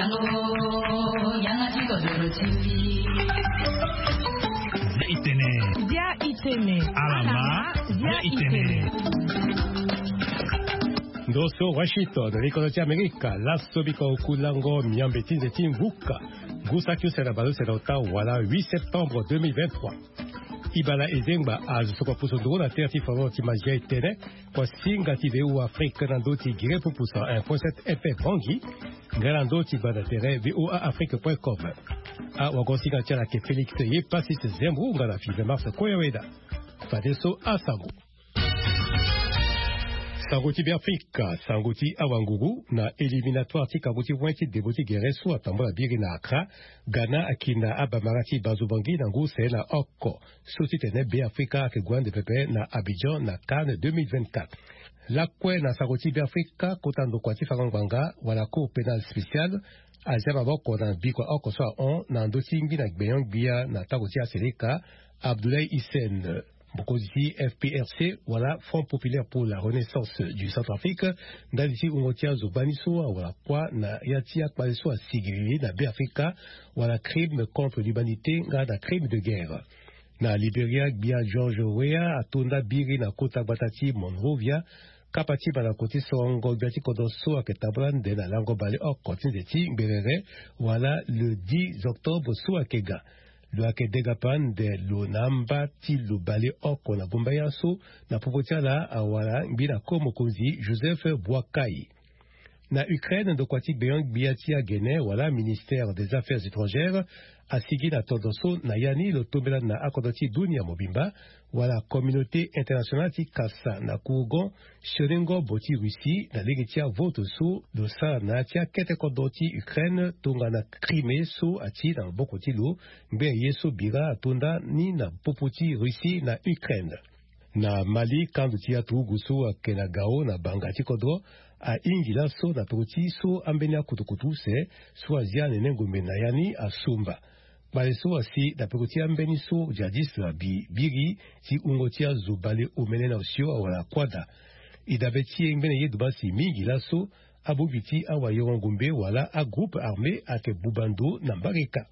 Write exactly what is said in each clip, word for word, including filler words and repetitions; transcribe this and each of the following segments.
Bia itene. Bia itene. Alama. Bia itene. Ndo so Washington, likono ti Amerika, laso biko kulango miambe ti nze ti mvuka. Ngu saki use na baleuse na ota wala huit septembre deux mille vingt-trois. Ibala Ezengba azo so kua pusu nduru na tere ti fano ti Mazia Etene, kua singa ti V O A Afrique na ndo ti gere pupusa un point sept F M Bangui, nga na ndo ti gbanda tere V O A Afrique point com. Awago singa ti ala ayeke Félix Yepasis Zembro nga na Five Mars Koyaweda. Fadeso asango. Sango ti Beafrika, sango ti awanguru na éliminatoire ti kango ti poin ti debo ti gere so atambula biri na Accra, Ghana ayeke na abamara ti Bazobangi na ngu use na oko. So titene Beafrika ayeke gue ande pepe na Abidjan na CAN deux mille vingt-quatre. Lakue na sango ti Beafrika, kota ndokua ti fango ngbanga wala Cour pénale spéciale azia maboko na bikua oko so ahon na ndö ti ngbina gbenyo-gbia na tango ti aseleka, Abdoulaye Hissène, mokonzi ti F P R C wala Front Populaire pour la Renaissance du Centrafrique, ndali ti wungo ti azo gbani so awara kuâ na ya ti akpale so asigili na Beafrika, wala crime contre l'humanité nga na crime de guerre. Na Liberia, gbia George Weah atonda biri na kota gbata ti Monrovia, kapa ti mandako ti sorongo gbia ti kodro so ayeke tambula ande na lango baleoko ti nze ti ngberere, wala le dix octobre so ayeke ga. Lo ayeke denga pande lo na amba ti lo baleoko na gumbaya so, na popo ti ala awara ngbina ko mokonzi Joseph Boakai. Na Ukraine, ndokua ti gbenyo-gbia ti agene wala ministère des Affaires étrangères asigi na tondro so na ya ni lo tombela na akodro ti dunia mobimba, wala communauté internationale ti kasa na kurugo sioni ngombo ti Russie na lege ti avote so lo sara na ya ti akete kodro ti Ukraine tongana Crimée so ati na maboko ti lo. Ngbene ye so bira atonda ni na popo ti Russie na Ukraine. Na Mali, kando ti aturugu so ayeke na Gao na banga ti kodro ahingi laso na peko ti so ambeni akutukutu use so azia anene ngombe na ya ni asumba. Kpale so asi na peko ti ambeni so jihadiste abi biri ti wungo ti azo baleomene na osio awara kuâ daa. E dabe ti e ngbene ye duba si mingi laso abongbi ti awayoro ngombe wala agroupe armé ayeke buba ndo na mbarika.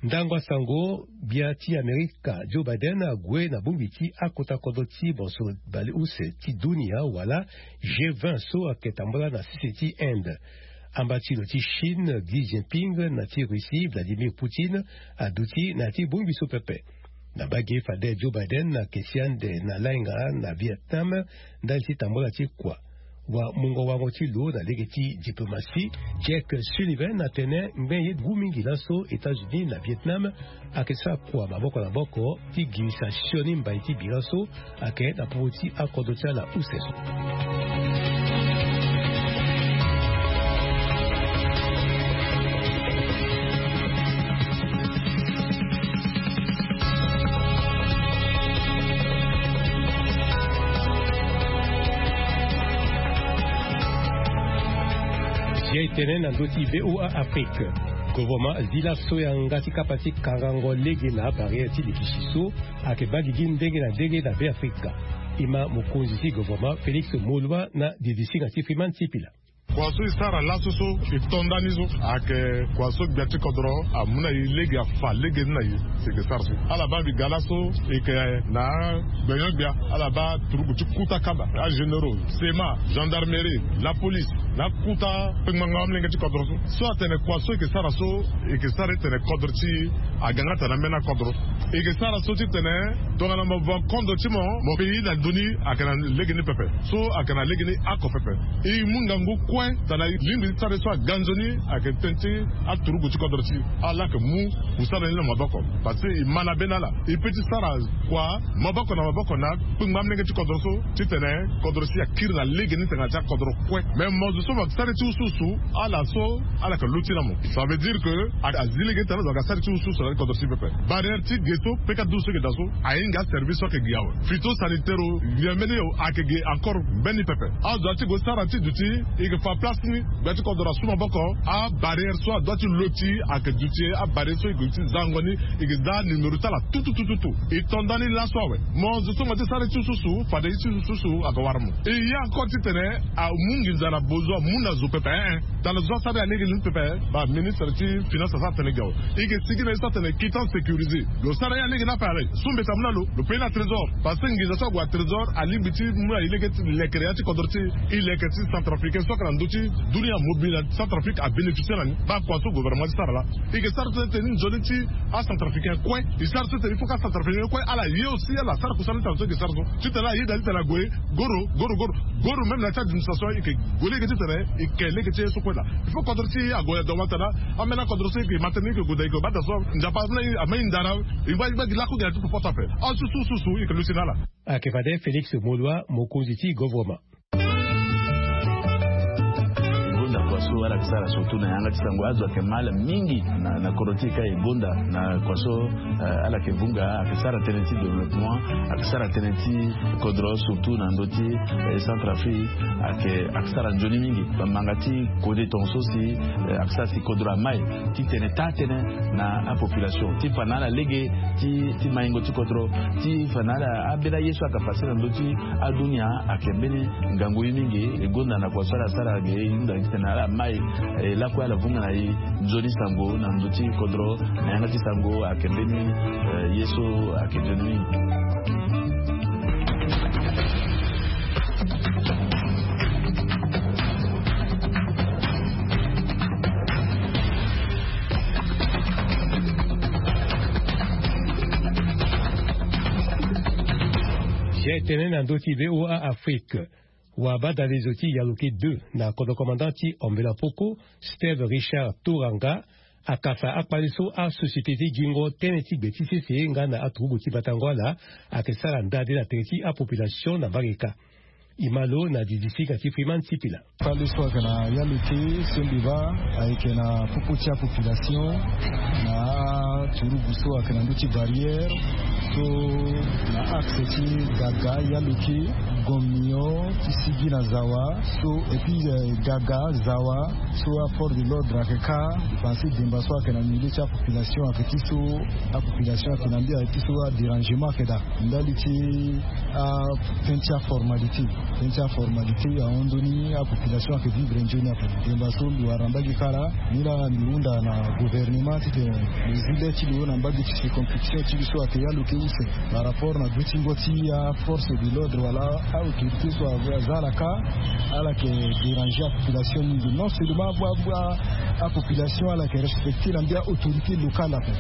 Ndango asango, gbia ti Amerika Joe Biden ague na bongbi ti akota kodro ti bonso baleuse ti dunia wala G vingt so ayeke tambula na sese ti Inde. Amba ti lo ti Chine Xi Jinping na ti Russie Vladimir Poutine aduti na ya ti bongbi so pepe. Na mbage fade Joe Biden ayeke si ande na lainga na Vietnam ndali ti tambula ti kua. Wa mungo wango ti lo na lege ti diplomatie, Jake Sullivan atene ngbene ye ngu mingi laso États-Unis na Vietnam ayeke sara kua maboko na maboko ti girisa sioni mbai ti bira so ayeke na popo ti akodro ti ala use so. Zia e tene na ndö ti V O A Afrique. Govoroma azi laso yanga ti kapa ti kangango lege na abarrière ti likisi so ayeke baa gigi ndenge na ndenge na Beafrika. E ma mokonzi ti govoroma Félix Moloua na didisinga ti Freeman Sipila. Kua so e sara laso so e to ndani so ayeke kua so gbia ti kodro amu na e lege, afa lege ni na e. Si e ke sara so ala baa mbi ga laso e ke na gbenyo-gbia, ala baa turugu ti kuta kaba, agénéraux, sema, gendarmerie, la police, na kuta kpengbanga amolenge ti kodro so. So atene kua so e ke sara so, e ke sara ti tene kodro ti e aga nga tene ambeni akodro. E ke sara so ti tene tongana mo va kondro ti mo, mo ke ye na ndö ni ayeke na lege ni pepe. So ayeke na lege ni oko pepe. E mu ngangu kue tongana lingbi ti sara ye so aga nzoni ayeke tënë ti aturugu ti kodro ti e. Ala yeke mu kusala ni na maboko. Parce que e ma na beni ala. E peut ti sara kua maboko na maboko na kpengba amolenge ti kodro so ti tene kodro ti e akiri na lege ni tongana ti akodro kue. Me mo zo so mo yeke sara ye ti usuusu, ala so ala yeke luti na mo. Ça veut dire que a, azi lege ni tongana azo ayeke sara ye ti usuusu na kodro ti e pepe. Barrière ti ge So peka du so eke daa so ahinga aservice so ake gi awe. Phytosanitaire o, nyen mbeni yo ake gi encore mbeni pepe. Azo ati gue sara ti duti, eke fa place ni. Gbe ti kodro asu maboko. Abarrière so adua ti lo ti ake duti, abarrière so eke ti zango ni. Eke za numéro ti ala tututututu. E to ndani laso awe. Mo zo so mo ti sara ti susu fade ti susu ake wara mo. E ya encore titene amu nginza na bozo, amu na zo pepe, eh, eh. Tala zo asara ya lege ni pepe. Ba ministre ti finance asara tene gi awe. Eke sigi na ye so atene quittance sécurisée. Lo sara ya lege ni ape. Ala so mbeti amu na lo, lo paye na trésor. Parce que nginza so ague na trésor alingbi ti mu na e lege ti lekere ya ti kodro ti e, leke ti centrafricain so ake na ndö ti dunia mobile na centrafrique abénéficier na ni. Ba kua so gouvernement ti sara laa. Eke sara tene tene nzoni ti acentrafricain kue. E sara tene tene il faut que acentrafricain kue ala ye aussi ala sara kusala ti ala so eke sara so. Titene ala yeda titene ague goro goro goro goro même na ti administration eke gue lege titene eke lege ti ye so kue laa. Il faut kodro ti e ague na doma tana. Ambeni akodro so eke matene eke gue da eke bata so nzapa ameni ndara. E ngba e ngba gi laku gi na ti popo ti ape. Asu su su su eke luti na ala. Ake fade Félix Molua, mokonzi ti gouvernement. Gonda kua so ala ke sara surtout na yanga ti sango azo ake mal mingi na, na kodro ti e ka e gonda na kua so, eh, ala ke vunga ake sara tënë ti développement, ake sara tënë ti kodro surtout na ndö ti, eh, Centrafrique ake, ake sara nzoni mingi. Bamanga ti kode tongaso si, eh, ake sara si kodro amai titene taa tënë na apopulation ti fa na ala lege ti, ti maingo ti kodro ti fa na ala ambeni aye so aka pase na ndö ti adunia ake mbeni ngangu ye mingi. E gonda na kua so ala sara ge e hunda titene ala mai, eh, lakue ala vunga na e nzoni sango na ndö ti kodro na yanga ti sango ake mbeni, eh, ye so ake nzoni mingi. Zia e tene na ndö ti V O A Afrique. Wabadalezo ti Yaloke deux na kodro commandant ti Ambela Poko, Steve Richard Toranga, akasa akpale so asociété ti gingo tënë ti gbe ti sese nga na aturugu ti batango ala ake sara ndade na tere ti apopulation na mbage kâ. E ma lo na didisinga ti Freeman Sipila. Kpale so ayeke na Yaloke so mbi baa ayeke na popo ti apopulation na aturugu so ayeke na ndö ti barrière so na axe ti Gaga, Yaloke, Gomion ti sigi na Zawa so, et puis, eh, Gaga, Zawa so aforce de l'ordre ayeke kâ. Parce que demba so ayeke na milieu ti apopulation ayeke ti so apopulation ayeke na mbi ayeke ti so adérangement ayeke daa. Ndali ti atënë ti aformalité. Tënë ti aformalité ahon ndoni apopulation ayeke vivre nzoni ape. Demba so mbi wara na mbage kâ laa, ni laa mbi hunda na gouvernement titene lo zi le ti lo na mbage ti circonscription ti lo so ayeke Yaloke use par rapport na dutingo ti aforce de l'ordre wala aautorité so aza ala kâ. Ala yeke déranger apopulation mingi. Non seulement apopulation ala yeke respecter na mbi aautorité locale ape.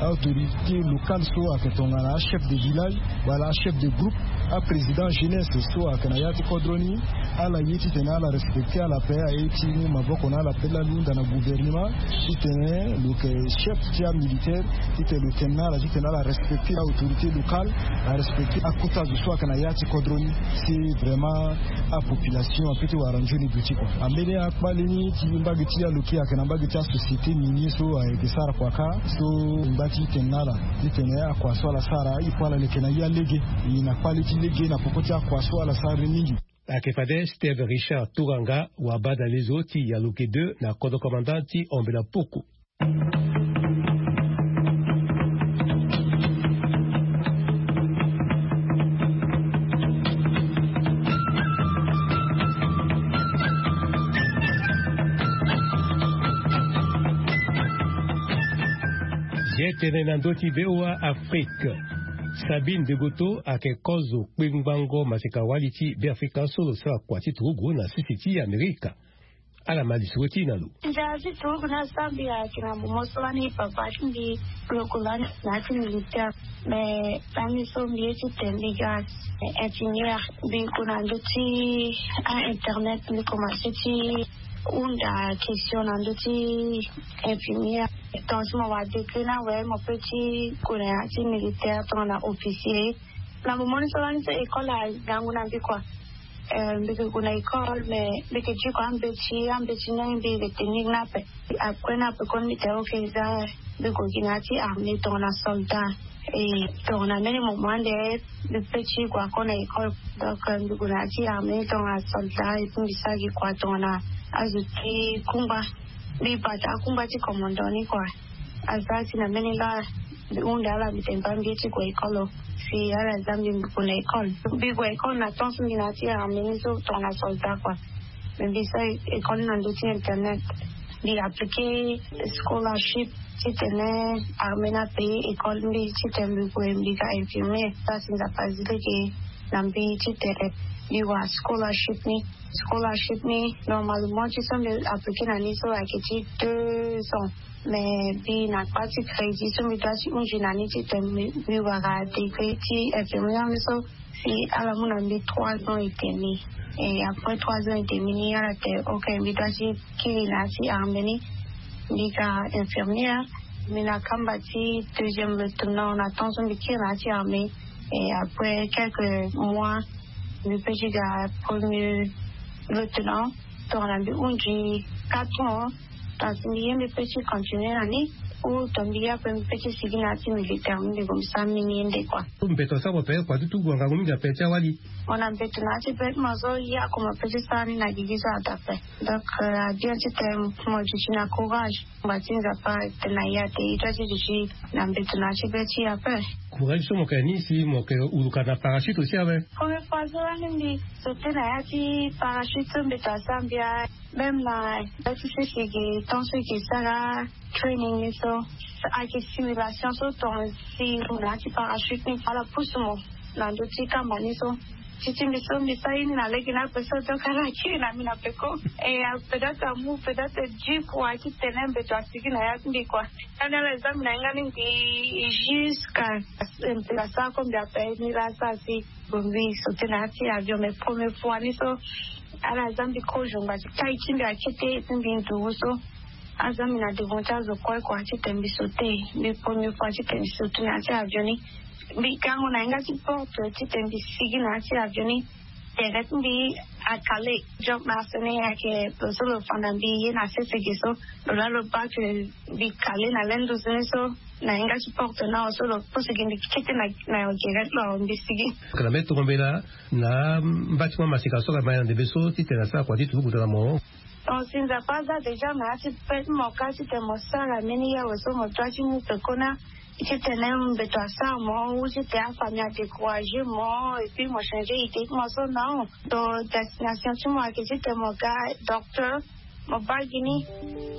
Aautorité locale so ayeke tongana achef de village wala achef de groupe, aprésident jeunesse so ayeke na ya ti kodro ni, ala ye titene ala respecter ala ape. Aye ti mu maboko na ala ape laa lo hunda na gouvernement titene lo yeke chef ti amilitaire titene lo tene na ala titene ala respecter aautorité locale, arespecter akota zo so ayeke na ya ti kodro ni. Si vraiment apopulation ape ti wara nzoni duti kua. Ambeni akpale ni ti mbage ti Yaloke ayeke na mbage ti asociété minier so ayeke sara kua kâ. So ngba ti tene na ala titene akua so ala sara e kue ala leke na ya lege. E na kpale ti lege na popo ti akua so ala sara ni mingi. Ayeke fade Steve Richard Toranga, wabadalezo ti Yaloke deux na kodro commandant ti Ambela Poko. Zia e tene na ndö ti V O A Afrique. Sabine Degoto ayeke kozo kpengbango maseka-wali ti Beafrika so lo sara kua ti turugu na sese ti Amerika. Ala ma lisoro ti e na lo. Nzara ti turugu ni asara mbi ayeke na momo so lani papa ti mbi lo ko lani na ya ti militaire. Mais lani so mbi ye ti tene mbi ga infirmière, mbi ko na ndö ti a-internet mbi komanse ti hunda question na ndö ti infirmière. Tongaso mo wara décret ni awe mo peut ti ko na ya ti militaire tongana officier. Na momo ni so lani so école angangu na mbi kua. Mbi ke gue na école mais mbi ke diko ambeti ambeti ni mbi ke tenir ni ape. Après ni ape koni mbi tene ok eza mbi gue gi na ya ti armée tongana soldat. E tongana mbeni moment ande mbi pe ti gue ako na école. Donc mbi gue na ya ti armée tongana soldat et puis mbi sara gi kua tongana azo ti kungba. Mbi bata akungba ti commandant ni kua. Aza si na mbeni laa mbi hunde ala mbi tene baa mbi ye ti gue école. Si ala za mbi mbi gue na école mbi gue école na temps so mbi na ya ti armée ni so tongana soldat kua. Mais mbi sara école ni na ndö ti internet. Mbi appliquer scholarship titene armée ni apayer école mbi titene mbi gue mbi ga infirmier. Sara si nzapa azi lege na mbi titene mbi wara scholarship ni. Scholarship ni normalement ti so mbi appliquer na ni so ayeke ti deux ans. Mais mbi na kpa ti crédit so mbi doit ti hunzi na ni titene mbi wara degré ti infirmier ni so. Si ala mu na mbi trois ans et demi. Et après trois ans et demi ni ala tene ok mbi doit ti kiri na ya ti armée ni. Mbi ga infirmière. Mbi na kamba ti deuxième lieutenant na temps so mbi kiri na ya ti armée. Et après quelques mois mbi pe ti ga premier lieutenant. Tongana mbi hunzi quatre ans. Tongana si mbi ye mbi pe ti continuer na ni ou tongana mbi ye ape mbi pe ti sigi na ya ti militaire mbi gue mbi sara mbeni ye nde kua. Mbeto asara mo pe kua ti tugu angangu mingi ape ti awali. Mo na mbeto na ya ti be ti mo so ye ako mo pe ti sara ni na gigi so ada ape. Donc abien titene mo duti na courage. Ngba ti nzapa tene na ya te e doit ti duti na mbeto na ya ti be ti e ape. Courage so mo yeke ni si mo yeke huluka na parachute aussi awe. Premier fois so lani mbi sauter na ya ti parachute so mbeto asara mbi awe. Même na ya ti sese ge temps so e ke sara training ni so ayeke simulation so tonga si mo na ya ti parachute ni ala pusu mo na ndö ti kamba ni so. Ti ti mbi so mbi sara ye ni na lege ni ape so donc ala kiri na mbi na peko. Et peut-être amu peut-être dix fois titene mbeto asigi na ya ti mbi kua. Ndani ala eza mbi na hinga ni ngbii jusqu'à mbeto asara ko mbi ape ni laa asara si. Bongbi sauter na ya ti avion mais premier fois ni so ala za mbi kozo ngba ti tai ti mbi akete et puis mbi nduru so. Aza mbi na devant ti azo kue kua titene mbi sauter. Mbi premier fois titene mbi sauter na ya ti avion ni. Mbi gango na hinga ti porte titene mbi sigi na ya ti avion ni. Tere ti mbi akale. Job na asene ayeke lo so lo fa na mbi ye na sese ge so. Lo laa lo baa ke mbi kale na le nduzu ni so. Na hinga ti porte na awe so lo pusu gi mbi kete na gere ti lo awe mbi sigi. Ka na mbeni tongo mbela na mba ti mo amaseka so ka ma ya na ndembe so titene asara kua ti turugu na mo. Donc si nzapa aza déjà na ya ti pe ti mo ka titene mo sara mbeni ye awe so mo doit ti mu pekoni. Titene mbeto asara mo ou titene afamille adécourager mo et puis mo changer idée ti mo so non. Donc destination ti mo ayeke titene mo ga docteur. Mo baa gi ni.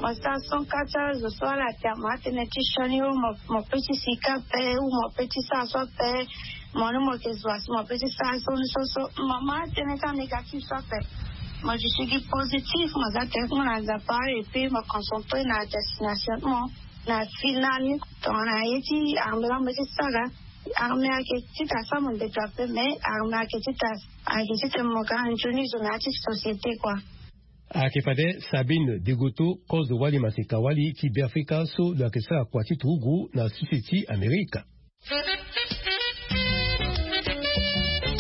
Mo sara son ka ti azo so ala ate mo atene ti sioni ou mo pe ti sika ape ou mo pe ti sara so ape. Mo ni mo yeke zo asi mo pe ti sara so ni so so. Mo ma atene ti anégatif so ape. Mo duti gi positif mo za tere ti mo na nzapa et puis mo concentré na destination ti mo. Na final ni tongana ye ti armée la mo ti sara. Armée ayeke ti ta sara mo ndeto ape mais armée ayeke ti ta ayeke ti tene mo ga nzoni zo na ya ti société kua. Ayeke fade Sabine Degoto kozo wali maseka wali ti Beafrika so lo yeke sara kua ti turugu na sese ti Amerika.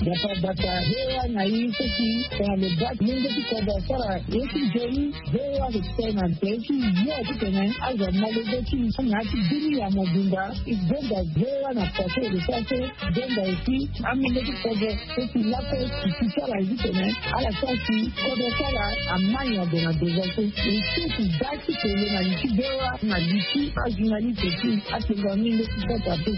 Dapa dapa hewa na i seki tongana lo baa ti mungo ti kodro asara ye ti nzoni. Hewa lo tene na nze ti yo titene azo amolenge ti na ya ti bini ya mobimba. E gonda hewa na kua so e lo sara so. Gonda aussi amolenge ti kodro. Eti lape ti ti ti ala zi tene ala sara si kodro ti ala amai na ndo na ndo za so. E so ti da ti tene na li ti bewa na li ti ajournaliste ti atengo amolenge ti kodro ape.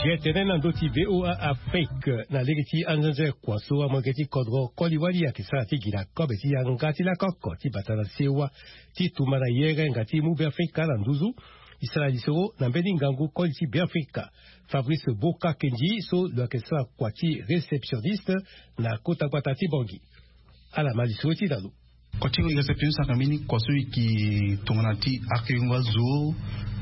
Ge tene na ndö ti VOA Afrique na lege ti anzenze kua so amolenge ti kodro koli wali ayeke sara ti gi na kobe ti yanga ti lakoko ti bata na sewa ti tumba na yerenga ti mu Beafrika na nduzu. E sara lisoro na mbeni ngangu koli ti Beafrika Fabrice Boka Kenji so lo yeke sara kua ti réceptionniste na kota gbata ti Bangui. Ala ma lisoro ti da lo. Kua ti réceptionniste ayeke mbeni kua so e yeke tongana ti akeyongo azo.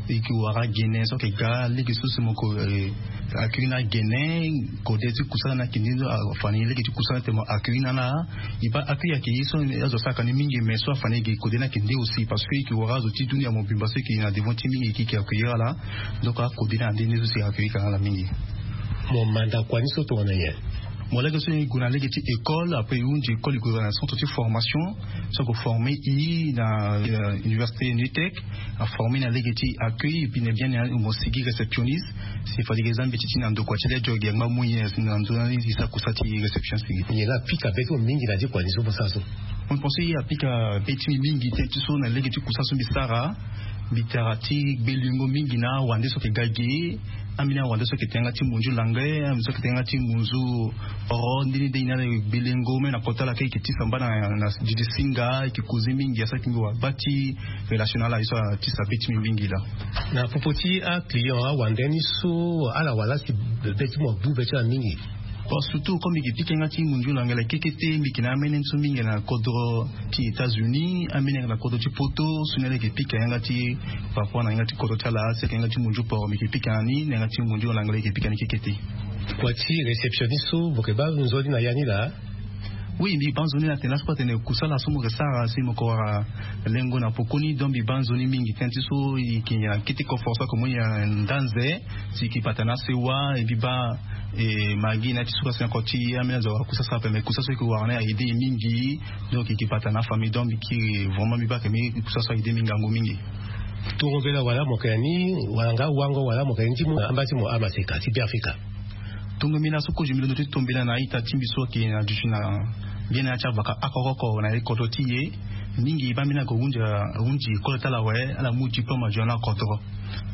E ke wara gene so ayeke ga lege so si mo ko accueillir na gene. Kode ti kusala ni ayeke nde so afa ni lege ti kusala ni tene mo accueillir na ala. E baa accueillir ayeke ye so azo asara ka ni mingi mais so afa ni ayeke kode ni ayeke nde aussi parce que e ke wara azo ti dunia mobimba so e ke na devant ti mingi e ke accueillir ala. Donc akode ni ande nde so si accueillir ka na ala mingi. Mo manda kua ni so tongana nyen? Mo lege so e gue na lege ti école après e hunzi école e gue na centre ti formation so ako former e na université nutec. Aformer na lege ti accueil e bi na bien ni mo sigi réceptionniste. Si fade ke za mbeti ti na ndokua ti le joge angba moyen na ndö na ni e sara kusa ti réception sigi. Nyen la apika be ti mo mingi na ti kua ni so mo sara so? Mo pense e apika be ti mbi mingi tënë ti so na lege ti kusa so mbi sara. Mbi tara ti gbelengo mingi na awande so ayeke ga ge. Ambeni awande so ayeke tene yanga ti munzu langue, ambeni so ayeke tene yanga ti munzu oro ndeni ndeni na ala e gbelengo même na kota ala kâ e yeke ti samba na didi singa e yeke koze mingi asara ti mbi wara baa ti relation na ala ye so atisa be ti mbi mingi laa. Na popo ti aclient awande ni so ala wara si be ti mo agbu be ti ala mingi? Bon surtout comme mbi yeke pika yanga ti munzu langue la kekete mbi yeke na amene ni so mingi na kodro ti états-unis amene yanga na kodro ti poto so ni ala yeke pika yanga ti par rapport na yanga ti kodro ti ala si ayeke yanga ti munzu poro mbi yeke pika na ni na yanga ti munzu langue la yeke pika ni kekete. Kua ti réceptionniste so mo yeke baa nzoni na ya ni laa? Oui mbi baa nzoni na tene laso kue atene kusala so mo yeke sara si mo yeke wara lengo na pokoni donc mbi baa nzoni mingi tënë ti so e yeke na kete coffre so ayeke mu e na ndanze. Si e yeke bata na asewa e mbi baa e magi na ya ti suka si na koti ambeni azo awara kusasa ape mais kusasa so e yeke wara ni a aide e mingi. Donc e yeke bata na afamille donc mbi kiri vraiment mbi baa ayeke mbeni kusasa so a aide mbi ngangu mingi. Tongo mbela wala mo yeke na ni wala nga wango wala mo yeke na ni ti mu na amba ti mo amaseka ti beafrika? Tongo mbela so kozo mbi londo ti tombela na a-ita ti mbi so ayeke na duti na mbeni ya ti avaka oko oko na ye kodro ti e. Mingi baa mbeni ako hunzi hunzi école ti ala awe ala mu diplôme azo na akodro.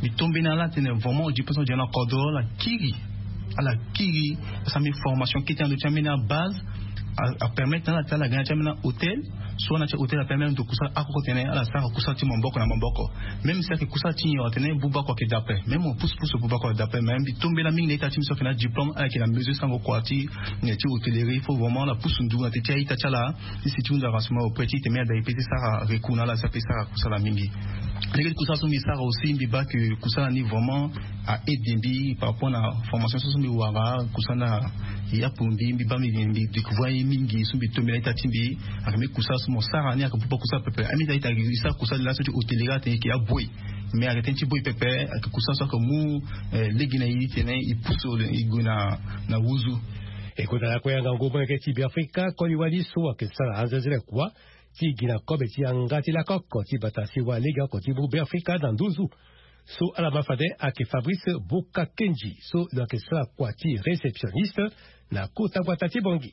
Mbi tombe na ala atene vraiment diplôme so azo na akodro ala kiri. Ala kiri asara mbeni formation kete na ndö ti ambeni abase. Apermettre na ala ti ala ga na ya ti ambeni ahôtel so na ya ti ahôtel apermettre ndo kusala akoko tene ala sara kusala ti maboko na maboko. Même si ayeke kusala ti nyen atene buba kua ayeke dape même mo pusu pusu buba kua ayeke dape mais mbi tombela mingi na ita ti mbi so ayeke na diplôme ala yeke na mesure sango kua ti na ya ti hôtellerie il faut vraiment ala pusu ndugu na te ti a-ita ti ala. Ti si ti hunda avancement auprès ti tene mbi ada e pe ti sara recours na ala si ape sara kusala mingi. Lege ti kusala so mbi sara aussi mbi baa ke kusala ni vraiment a aide mbi par rapport na formation so so mbi wara kusala na ya pumbi mbi baa mbi découvrir ye mingi so mbi tombela ita ti mbi. Ayeke mbeni kusala so mo sara ni ayeke buba kusala pepe ami ta ita e sara kusala laso ti hôtellerie atene e yeke aboyi. Mais ayeke tënë ti boyi pepe ayeke kusala so ayeke mu lege na e ti tene e pusu e gue na na wuzu. E kota lakue yanga ngu molenge ti beafrika koli wali so ayeke sara anzenzele kua ti gi na kobe ti yanga ti lako oko ti bata si wa lege oko ti mu beafrika na nduzu. So ala ma fade ayeke fabrice boka kenji so lo yeke sara kua ti réceptionniste na kota gbata ti bongi.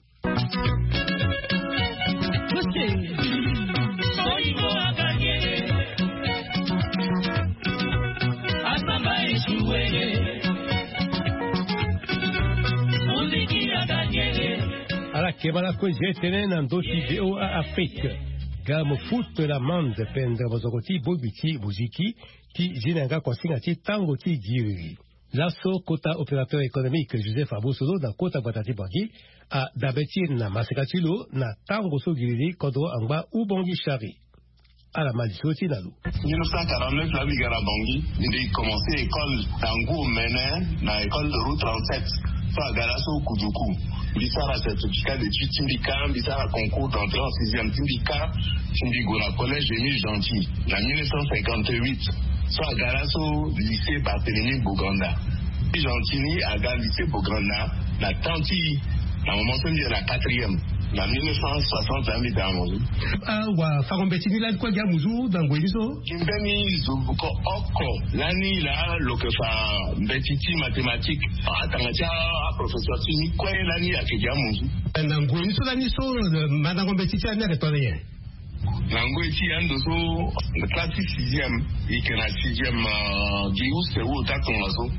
Ala keba lakue je tene na ndö ti voa afrique. Ga mo foute l'amande pendere mozoko ti bogbi ti moziki ti zi na yanga kosinga ti tango ti giriri. Laso kota opérateur économique joseph abosolo na kota gbata ti bangi adabe ti e na maseka ti lo na tango so giriri kodro angba ubongi shari. Ala ma lisoro ti na lo. Mille neuf cent quarante-neuf la mbi ga na bangi mbi commence école na ngu omene na école de route trente-sept. So aga laso kuduku mbi sara certificat d'étude ti mbi ka mbi sara concours d'entrée en sixième ti mbi ka ti mbi gue na collège émile gentil na mille neuf cent cinquante-huit. So aga laso lycée barthélemy boganda. Gentil ni aga lycée boganda na temps ti na moment so mbi yeke na quatrième na mille neuf cent soixante la mbi daa mo. Awa fango mbeti ni lani kue gi amuzu na ngoi ni so. Gi mbeni zo ko oko lani laa lo yeke fa mbeti ti mathématique. Atanga ti aprofesseur ti ni kue lani ayeke gi amuzu. Na ngoi ni so lani so mandango mbeti ti ani ayeke tongana nyen? Na ngoi ti ya ndo so classe ti sixième e yeke na sixième gi use ou ota tongaso.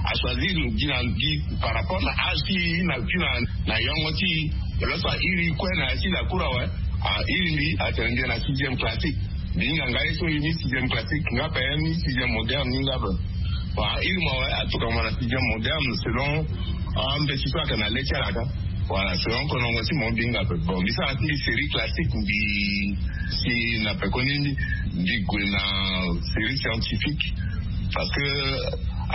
Achoisir gi na gi par rapport na âge ti e na ti na na yongo ti e. Lo so airi kue na ya ti lakour awe airi mbi atene mbi na sixième classique. Mbi hinga nga ye so e ni sixième classique nga pe ni sixième moderne ni nga pe. Bon airi mo awe atuka mo na sixième moderne selon ambeti so ayeke na le ti ala ka. Voilà selon konongo ti mo mbi hinga pe bon mbi sara ti mbi série classique mbi si na pekoni mbi gue na série scientifique. Parce que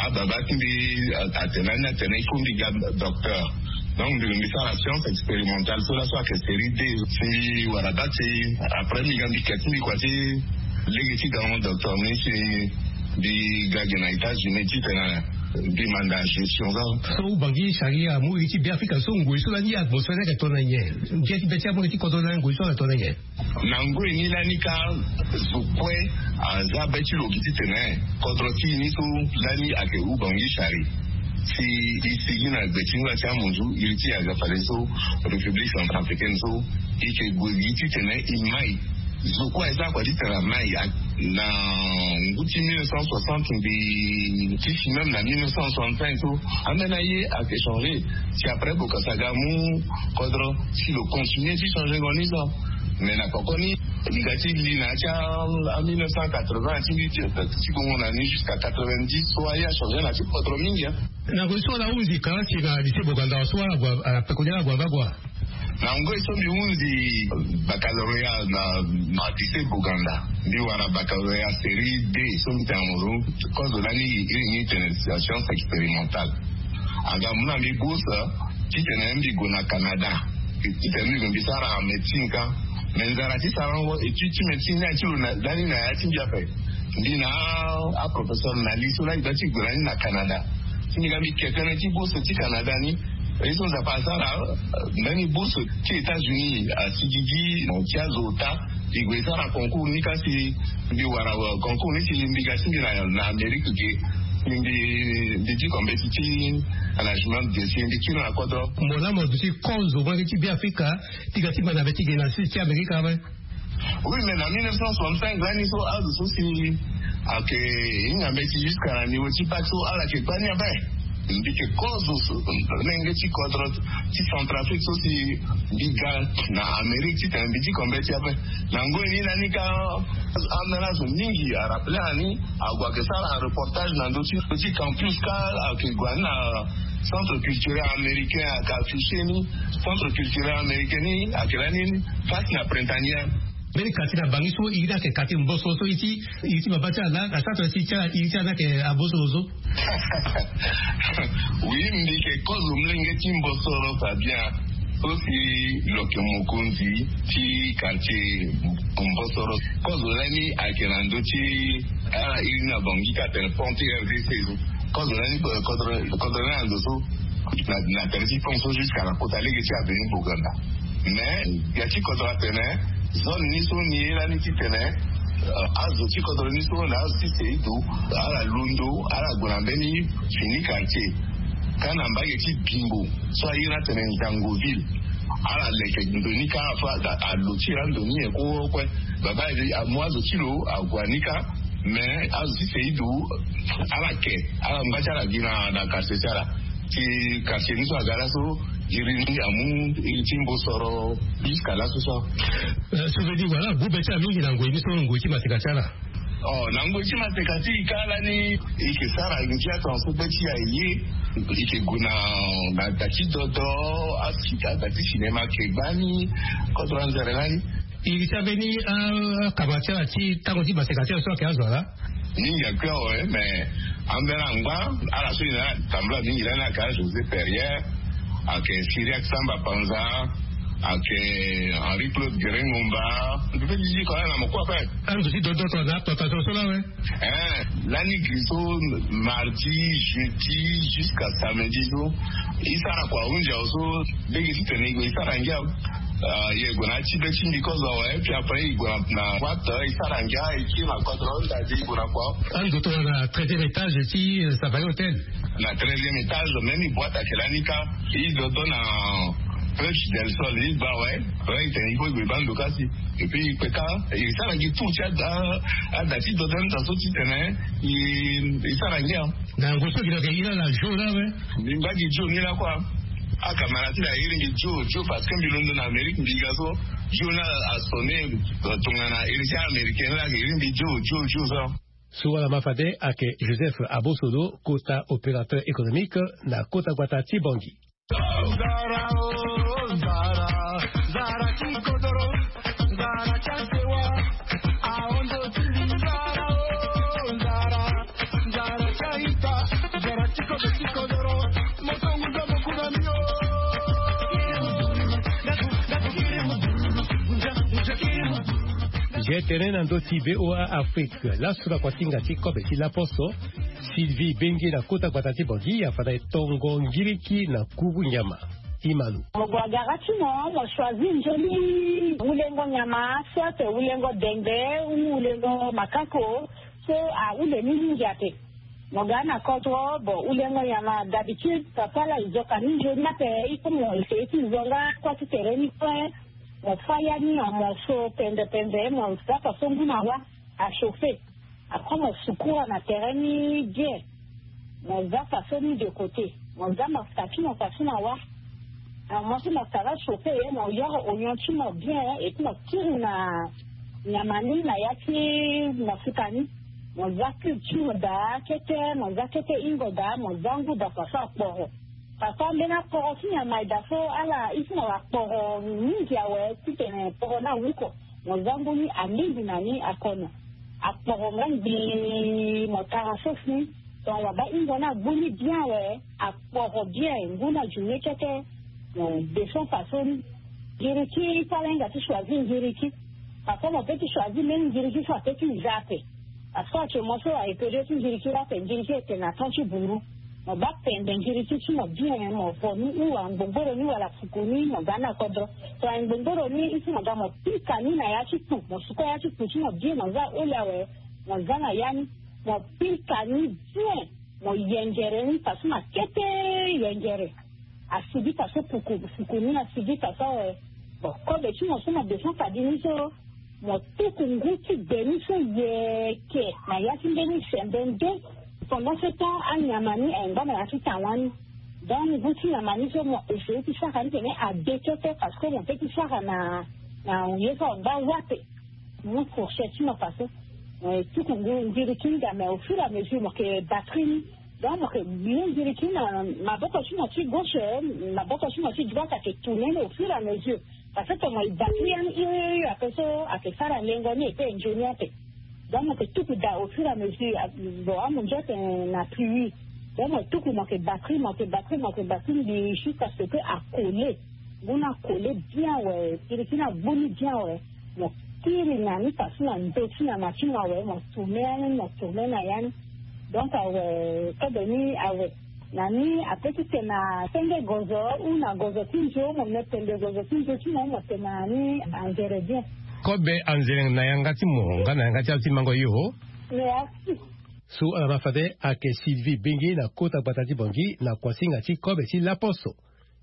ababa ti mbi atene ani atene il faut mbi ga docteur. Donc mbi sara science expérimentale so laso ayeke série d. Si mbi wara date ti après mbi ga mbi ke ti mbi kua ti lege ti ga hon docteur ni si mbi ga gi na États-Unis titene mbi manda gestion so. So Ubangui Chari amu gi ti Beafrika so ngoi so lani atmosphère ni ayeke tongana nyen? Ngia ti be ti amu gi ti kodro lani ngoi so ayeke tongana nyen? Na ngoi ni lani ka zo kue aza be ti lo gi titene kodro ti e ni so lani ayeke Ubangui Chari. Si e sigi na gbe ti ngbanga ti amunzu iri ti e aga fade so République centrafricaine so e yeke gue gi titene e mai. Zo kue aza kua titene amai. Na ngu ti mille neuf cent soixante mbi ti si même na mille neuf cent soixante-cinq so ambeni aye ayeke changé. Si après Bokassa aga amu kodro si lo continué ti changé ngo ni so. Mais na poko ni mbi ga ti li na ya ti a mille neuf cent quatre-vingts ti mbi ti gongo na ni jusqu'à quatre-vingt-dix so aye achangé na ti kodro mingi. Na ngoi so ala hunzi kalasi na lycée Boganda so ala gue ala pekoni ala gue amba gue. Na ngoi so mbi hunzi baccalauréat na lycée Boganda, mbi wara baccalauréat série d so mbi tene mo so. Kozo lani iri ni tene science expérimentale. Aga mu na mbi bourse titene mbi gue na Canada titene mbi gue mbi sara médecine ka. Mais nzara ti sarango étude ti médecine ni ati lo lani na ya ti mbi ape. Mbi na aprofesseur na li so lani gba ti gue lani na Canada. Ti mbi ga mbi ke tënë ti bourse ti Canada ni. Ye so Nzapa asara mbeni bourse ti États-Unis asigigi na ti azo ota. Mbi gue sara concours ni kasi mbi wara concours ni si mbi ga ti mbi na Amérique ge. Mbi mbi diko mbeti ti management ge si mbi kiri na kodro. Mo laa mo duti kozo mo yeke ti Beafrika ti ga ti banda mbeti ge na sud ti Amérique ape. Oui mais na mille neuf cent soixante-cinq lani so azo so si ayeke hinga mbeti jusqu'à na niveau ti bac so ala yeke gbani ape. Mbi yeke kozo so lenge ti kodro ti Centrafrique so si mbi ga na Amérique titene mbi diko mbeti ape. Na ngoi ni lani ka ambeni azo mingi arappelé ani ague ayeke sara reportage na ndö ti campus ka ayeke gue ani na centre culturel américain ayeke affiché ni. Centre culturel américain ni ayeke lani face na Printanière. Mbeni quartier na Bangui so iri ni ayeke quartier mboso so iri ti iri ti baba ti ala na centre ti ala iri ti ala ni ayeke abosoro so. Oui mbi yeke kozo molenge ti mbosoro Fabien. So si lo yeke mokonzi ti quartier mbosoro. Kozo lani ayeke na ndö ti ala iri ni na Bangui ka atene pont ti R D C so. Kozo lani kodro lani na ndo so na tere ti pont so jusqu'à na kota lege ti avenue Boganda. Mais ya ti kodro atene zone ni so ni ye lani titene azo ti kodro ni so na azo ti seido ala londo ala gue na mbeni fini quartier. Ka na mbage ti Bimbo so aye ni atene Nzangoville. Ala leke ndo ni ka afa alo ti ira ndo ni nyen kue kue. Baba amu azo ti lo ague ni ka. Mais azo ti seido ala ke ala ngba ti ala gi na quartier ti ala. Ti quartier ni so aga laso iri ni amu iri ti mbosoro jusqu'à laso so. So veut dire wala agu be ti ala mingi na ngoi ni so ngoi ti maseka ti ala. Oh na ngoi ti maseka ti e ka lani e yeke sara ngia tongaso be ti e aye. E yeke gue na na da ti dodo. Asi ada ti cinéma ayeke gbani. Kodro anzere lani. Iri ti ambeni akama ti ala ti tango ti maseka ti ala so ayeke azo ala. Mingi akui awe mais ambeni angba ala so e na ala tambula mingi lani ayeke a José Perrier. Ayeke Cyriaque Samba Panza. Ayeke Henri Claude Guérin Ngomba. Mbi pe ti zi ko ala na mo kue ape. Ando ti dodo tongana atota so so la awe. Hein lani gri so mardi jeudi jusqu'à samedi so e sara kua ahunzi awe so. Lege titene e gue e sara ngia. Ye gue na ya ti be ti mbi kozo awe puis après e gue na boite e sara ngia e kiri na kodro ndadi e gue na kua. Ando tongana treizième étage ti Safari Hôtel. Na treizième étage même boite ayeke lani ka. E dodo na Flèche del Sol e gba awe. Awe e tene e kue e gue e baa ndo ka si. Et puis e kpe ka e sara gi tour ti ada ti dodo ni daa so titene e sara ngia. Na yango so gi na ke iri ala jour la awe. Mbi ngba gi jour ni lakua. Akamara ti na iri mbi jour jour parce que mbi londo na Amérique mbi ga so jour ni asonné. Tongana iri ti américain ni la iri mbi jour jour jour so. So wala ma fade ayeke Joseph Abosodo kota opérateur économique na kota gbata ti Bangui. Ye tene na ndö ti VOA Afrique, laso na kuasinga ti kobe ti laposo, Sylvie Bengi na kota gbata ti Bangui afanda e tongo ngiriki na kuru nyama. Imanu. Mo gue agara ti mo, mo choisir nzoni wulengo nyama, soit wulengo dengbe, ou wulengo makako, so ahule ni mingi ape. Mo ga na kodro, bon, wulengo nyama d'habitude, papa la, e zo ka ni nzoni ape, il faut mo essayer ti zo nga kua ti tere ni kue. Mo fa ya ni na mo so pende pende, mo za faso ngu na wa, a chauffer. Après mo sukura na tere ni bien. Mo za faso ni de côté. Mo za mafuta ti mo faso na wa. Na mo so mafuta la chauffer, mo yoro oignon ti mo bien, et puis mo kiri na nyama ni na ya ti mafuta ni. Mo za cube ti mo daa kete, mo za kete hingo daa, mo za ngu daa faso akporo. Faso ambeni akporo ti nyama e daa so ala, il faut mo akporo mingi awe, titene kporo ni awuko. Mo za ngu ni alingbi na ni akono. Akporo nga ngbii, mo tara sauce ni. Donc wabâ hingo ni agbu ni bien awe, akporo bien, ngu ni ajume kete. Mo descend faso ni. Ngiriki, fâ ala hinga ti choisir ngiriki. Parfois mo peut ti choisir même ngiriki so apeut ti za ape. Parfois actuellement so a éperiode ti ngiriki la ape, ngiriki e tene na temps ti buru. Mo bâ pende ngiriki ti mo bien, mo vo ni ou angbongboro ni wala fuku ni, mo ga ni na kodro. So angbongboro ni, il faut mo ga mo pika ni na ya ti kpu, mo suka ya ti kpu ti mo bien, mo za oli awe, mo za na ya ni, mo pika ni bien, mo yengere ni faso na kete yengere. Asigi faso puku, fuku ni asigi faso awe. Bon, kobe ti mo so mo descend fadi ni so, mo tuku ngu ti gbe ni so yeke na ya ti mbeni sembe nde. Pendant ce temps, anyama ni ayeke ngba na ya ti tan wani. Donc ngu ti nyama ni so mo essayer ti sara ni tene ade kete, parce que mo peut ti sara na, na ye so angba wa ape. Mo fourchette ti mo faso, eh, tuku ngu ngiriki ni ga, mais au fur et à mesure mo yeke battre ni. Donc mo yeke gbi ngiriki ni na maboko ti mo ti gauche, eh, maboko ti mo ti droite ayeke tourner ni au fur et à mesure. Parce que tongana mo battre ya ni hio hio hio ape so ayeke sara lengo ni, e peut e nzoni ape. Donc mo yeke tuku daa au fur et à mesure, a, bon, amunzu atene na pluie. Donc mo tuku, mo yeke battre, mo yeke battre, mo yeke battre ni jusqu'à ce que acoller. Ngu ni acoller bien awe, ngiriki ni agbu ni bien awe. Mo kiri na ni faso na ndö ti nyama ti mo awe, mo tourner ya ni, mo tourner na ya ni. Donc awe, kobe ni awe. Na ni apeut ti tene na senge gozo ou na gozo ti nzo, mo me pende gozo ti nzo ti mo, mo tene na ni anzere bien. Kobe anzere na yanga ti mo nga na yanga ti azo ti mango yo. Merci. So ala ma fade ayeke Sylvie Bengi na kota gbata ti Bangui na kuasinga ti kobe ti laposo.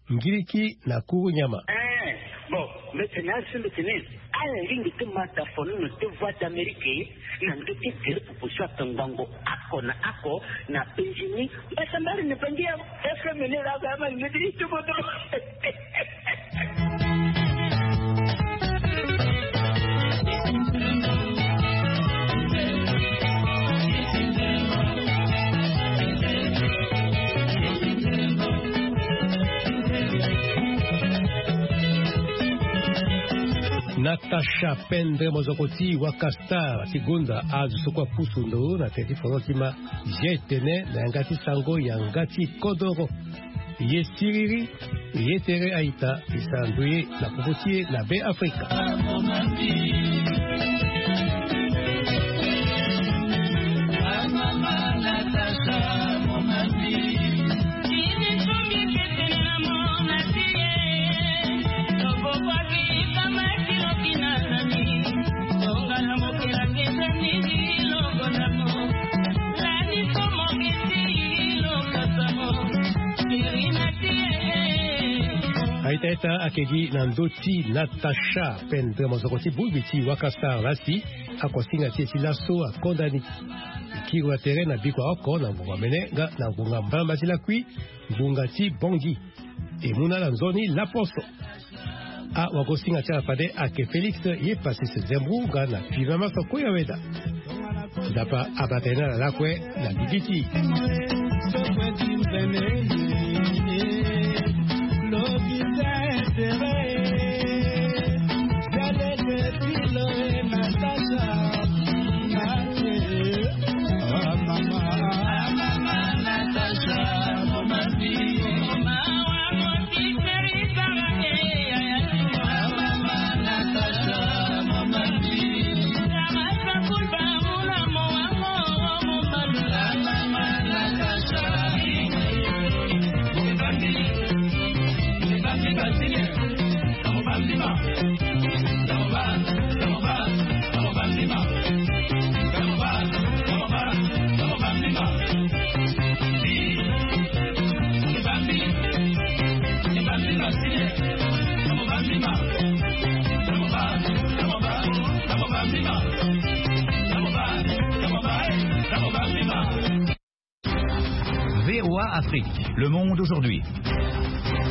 Ngiriki na kuru nyama. Eh, bon, mbi tene asi mbi tene, ala lingbi ti ma da fono na deux voix d'Amérique, na ndö ti gere pupu so ape ngbongo oko na oko na Benjini. Mbasambari na Bangi ya F M ni la, ba ma ngeti ti moto. Natacha Pendre Mozoko ti Wakastar ti gonda azo so kue apusu ndo na tere ti foro ti ma. Ye tene na yanga ti sango yanga ti kodoro. Ye siriri, ye tere a-ita, e sara ndoye na popo ti e na Be Afrika. A-ita, a-ita ayeke gi na ndö ti Natacha Pendre Mozoko ti bongbi ti Wakastar la si akuasinga ti e ti laso akonda ni. E kiri wa tere na bikua oko na ngbonga mene nga na ngbonga mbalamba ti lakui, ngbonga ti Bangui. E mu na ala nzoni laposo. Awagosinga ti ala fade ayeke Félix Yepassis Zembrou nga na Pivama Soko ya Weda. Nzapa abata ye na ala lakue na gigi ti e. V O A Afrique, le monde aujourd'hui.